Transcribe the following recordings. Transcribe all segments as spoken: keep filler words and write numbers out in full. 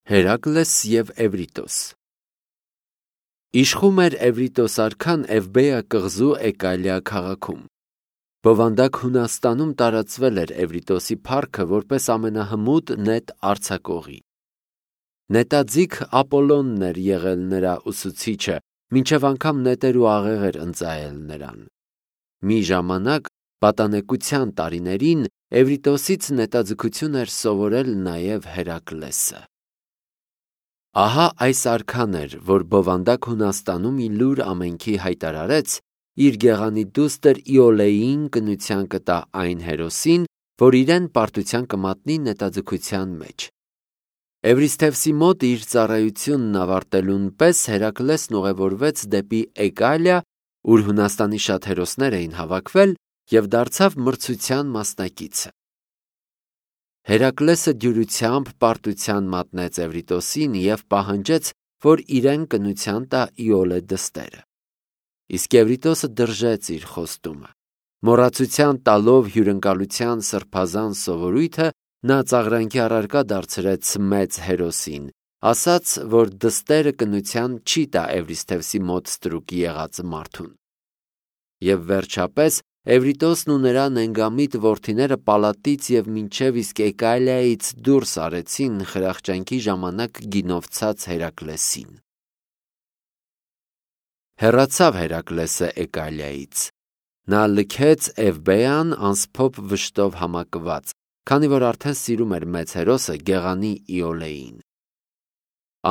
Հերակլես և Էվրիտոս։ Իշխում էր Էվրիտոս արքան Էվբեա կղզու Էկալիա քաղաքում։ Բովանդակ Հունաստանում տարածվել էր Էվրիտոսի փառքը որպես ամենահմուտ նետ արձակողի։ Նետաձիգ Ապոլոնն էր եղել նրա ուսուցիչը, մինչև անգամ նետեր ու աղեղեր ընծայել նրան։ Մի ժամանակ պատանեկության տարիներին Էվրիտոսից նետաձգություն էր սովորել նաև Հերակլեսը։ Ահա այս արքան էր, որ բովանդակ Հունաստանում ի լուր ամենքի հայտարարեց իր գեղանի դուստր Իոլեին կնության կտա այն հերոսին, որ իրեն պարտության կմատնի նետաձգության մեջ։ Էվրիսթևսի մոտ իր ծառայությունն ավարտելուն պես Հերակլեսն ուղևորվեց դեպի Էկալիա, ուր Հունաստանի շատ հերոսներ էին հավաքվել, և դարձավ մրցության մասնակիցը։ Հերակլեսը դյուրությամբ պարտության մատնեց Էվրիտոսին և պահանջեց, որ իրեն կնության տա Իոլե դստերը։ Իսկ Էվրիտոսը դրժեց իր խոստումը։ Մոռացության տալով հյուրընկալության սրբազան սովորույթը, նա ծաղրանքի առարկա դարձրեց մեծ հերոսին, ասաց, որ դստերը կնության չի տա Էվրիսթևսի մոտ ստրուկ եղած մարդուն։ Եվ վերջապես Էվրիտոսն ու նրա նենգամիտ որդիները պալատից և մինչև իսկ Էկալիայից դուրս արեցին խրախճանքի ժամանակ գինով ցած Հերակլեսին։ Հեռացավ Հերակլեսը Էկալիայից։ Նա լքեց Էվբեան անսփոփ վշտով համակված, քանի որ արդեն սիրում էր մեծ հերոսը գեղանի Իոլեին։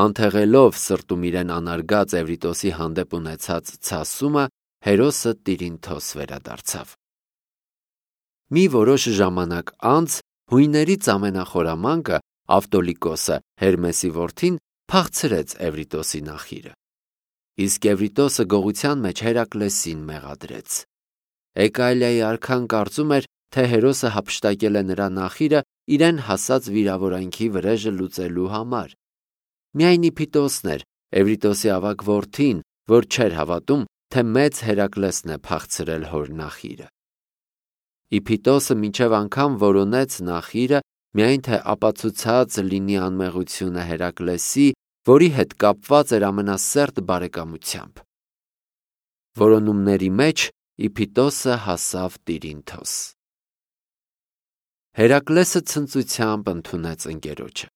Անթեղելով սրտում իրեն անարգած Էվրիտոսի հանդեպ ունեցած ցասումը, հերոսը տիրինթոս վերադարձավ։ Մի որոշ ժամանակ անց հույներից ամենախորամանկը Ավտոլիկոսը, Հերմեսի որդին, փախցրեց Էվրիտոսի նախիրը։ Իսկ Էվրիտոսը գողության մեջ Հերակլեսին մեղադրեց։ Էկալիայի արքան կարծում էր, թե հերոսը հափշտակել է նրա նախիրը իրեն հասած վիրավորանքի վրեժը լուծելու համար։ Միայն Իփիտոսն էր, Էվրիտոսի ավագ որդին, որ չէր հավատում, թե մեծ Հերակլեսն է փախցրել հոր նախիրը։ Իփիտոսը մինչև անգամ որոնեց նախիրը, միայն թե ապացուցած լինի անմեղությունը Հերակլեսի, որի հետ կապված էր ամենասերտ բարեկամությամբ։ Որոնումների մեջ Իփիտոսը հասավ տիրինթոս։ Հերակլեսը ցնծությամբ ընդունեց ընկերոջը։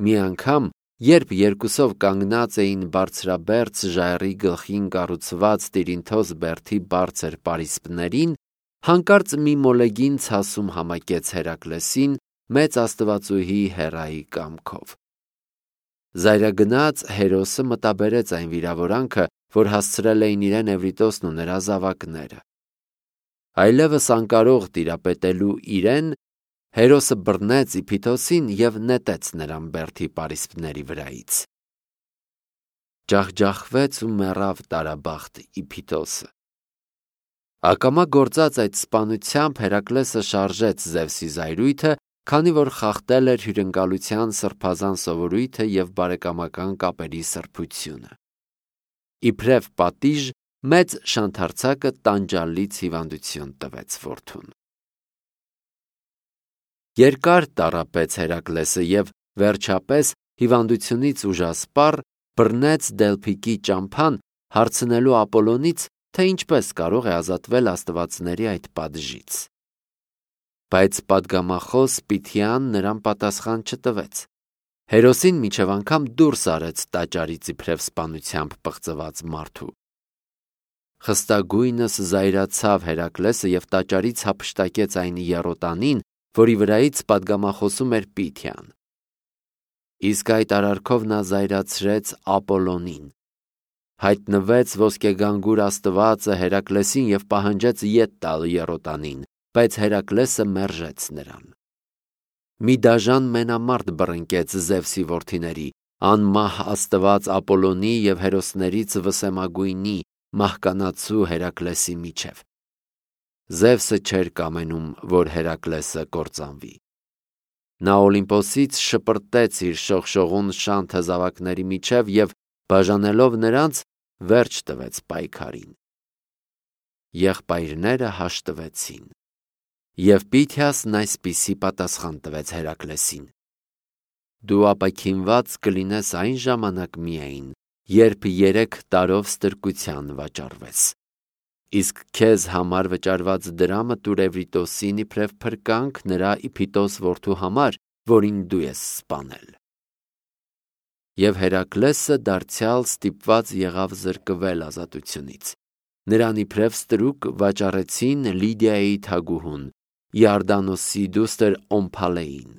Մի անգամ, երբ երկուսով կանգնած էին բարձրաբերձ ժայռի գլխին կառուցված տիրինթոս բերդի բարձր պարիսպներին, հանկարծ մի մոլեգին ցասում համակեց Հերակլեսին մեծ աստվածուհի Հեռայի կամքով։ Զայրագնաց հերոսը մտաբերեց այն վիրավորանքը, որ հասցրել էին իրեն Էվրիտոսն ու նրա զավակները։ Այլևս անկարող տիրապետելու իրեն, հերոսը բռնեց Իփիտոսին և նետեց նրան բերդի պարիսպների վրայից։ Ջախջախվեց ու մեռավ տարաբախտ Իփիտոսը։ Ակամա գործած այդ սպանությամբ Հերակլեսը շարժեց Զևսի զայրույթը, քանի որ խախտել էր հյուրընկալության սրբազան սովորույթը և բարեկամական կապերի սրբությունը։ Իբրև պատիժ, մեծ շանթարցակը տանջալից հիվանդություն տվեց որդուն։ Երկար տառապեց Հերակլեսը և վերջապես հիվանդությունից ուժասպառ բռնեց Դելփիկի ճամփան, հարցնելու Ապոլոնից, թե ինչպես կարող է ազատվել աստվածների այդ պատժից։ Բայց պատգամախոս Պիթիան նրան պատասխան չտվեց։ Հերոսին մինչև անգամ դուրս արեց տաճարից իբրև սպանությամբ պղծված մարդու։ Խստագույնս զայրացավ Հերակլեսը և տաճարից հափշտակեց այն եռոտանին, որի վրայից պատգամախոսում էր Պիթիան։ Իսկ այդ արարքով նա զայրացրեց Ապոլոնին։ Հայտնվեց ոսկեգանգուր աստվածը Հերակլեսին և պահանջեց ետ տալ եռոտանին, բայց Հերակլեսը մերժեց նրան։ Մի դաժան մենամարտ բռնկեց Զևսի որդիների, անմահ աստված Ապոլոնի և հերոսներից վսեմագույնի, մահկանացու Հերակլեսի միջև։ Զևսը չէր կամենում, որ Հերակլեսը կործանվի։ Նա Օլիմպոսից շպրտեց իր շողշողուն շանթը զավակների միջև և, բաժանելով նրանց, վերջ տվեց պայքարին։ Եղբայրները հաշտվեցին։ Եվ Պիթիասն այսպիսի պատասխան տվեց Հերակլեսին. դու ապաքինված կլինես այն ժամանակ միայն, երբ երեք տարով ստրկության վաճառվես։ Իսկ քեզ համար վճարված դրամը տուր Էվրիտոսին իբրև փրկանք նրա Իփիտոս որդու համար, որին դու ես սպանել։ Եվ Հերակլեսը դարձյալ ստիպված եղավ զրկվել ազատությունից։ Նրան իբրև ստրուկ վաճառեցին Լիդիայի թագուհուն, Իորդանոսի դուստր Օմփալեին։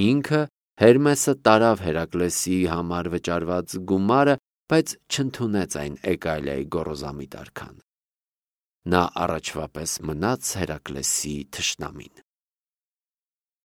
Ինքը Հերմեսը տարավ Հերակլեսի համար վճարված գումարը, բայց չընդունեց այն Էգալիայի գոռոզամիտ արքան։ Նա առաջվա պես մնաց Հերակլեսի թշնամին։